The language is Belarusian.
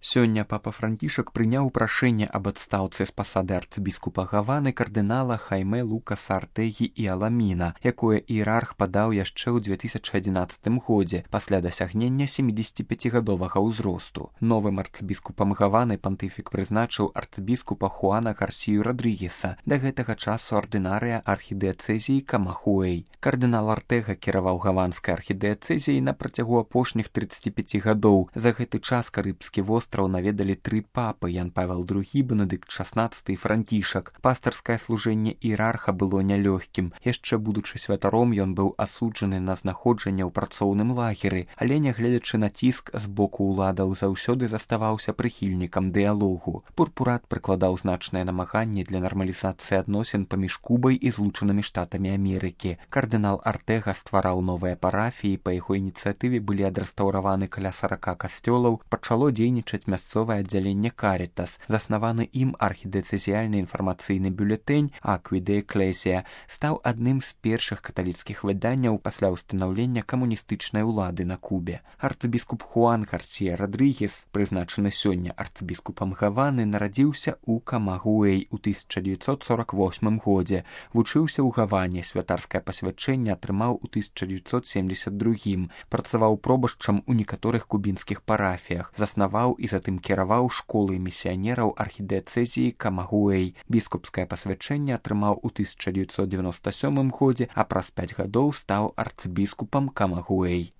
Сёння папа Францішак прыняў прашэнне аб адстаўцы з пасады арцыбіскупа Гаваны кардынала Хайме Лукаса Артегі і Аламіна, якое іерарх падаў яшчэ ў 2011 годзе пасля дасягнення 75гадовага ўзросту. Новым арцыбіскупам Гаваны пантыфік прызначыў арцыбіскупа Хуана Гарсію Радрыгеса, да гэтага часу ардынарыя архідыяцэзіі Камагуэй. Кардынал Артэга кіраваў гаванскай архідыяцэзіяй на працягу апошніх 35 гадоў. За гэты час карыбскі востраў наведалі 3 папы: Ян Павел II, Бенедыкт XVI і Францішак. Пастарскае служэнне іерарха было нялёгкім. Яшчэ будучы святаром, ён быў асуджаны на знаходжанне ў працоўным лагеры, але, нягледзячы на ціск з боку ўладаў, заўсёды заставаўся прыхільнікам дыялогу. Пурпурат прыкладаў значнае намаганне для нармалізацыі адносін паміж Кубай і Злучанымі Штатамі Амерыкі. Кардынал Артэга ствараў новыя парафіі, па яго ініцыятыве былі адрэстаўраваны каля 40 касцёлаў, пачало дзейнічаць мясцовае аддзяленне Карітас. Заснаваны ім архідыяцэзіяльны інфармацыйны бюлетэнь «Акві де Эклесія» стаў адным з першых каталіцкіх выданняў пасля ўстанаўлення камуністычнай улады на Кубе. Арцыбіскуп Хуан Гарсія Радрыгес, прызначаны сёння арцыбіскупам Гаваны, нарадзіўся ў Камагуэй у 1948 годзе. Вучыўся ў Гаване, святарскае пасвячэнне атрымаў у 1972, працаваў пробашчам у некаторых кубінскіх парафіях, заснаваў і затым кіраваў школай місіянераў архідыяцэзіі Камагуэй. Біскупскае пасвячэнне атрымаў у 1997 годзе, а праз 5 гадоў стаў арцыбіскупам Камагуэй.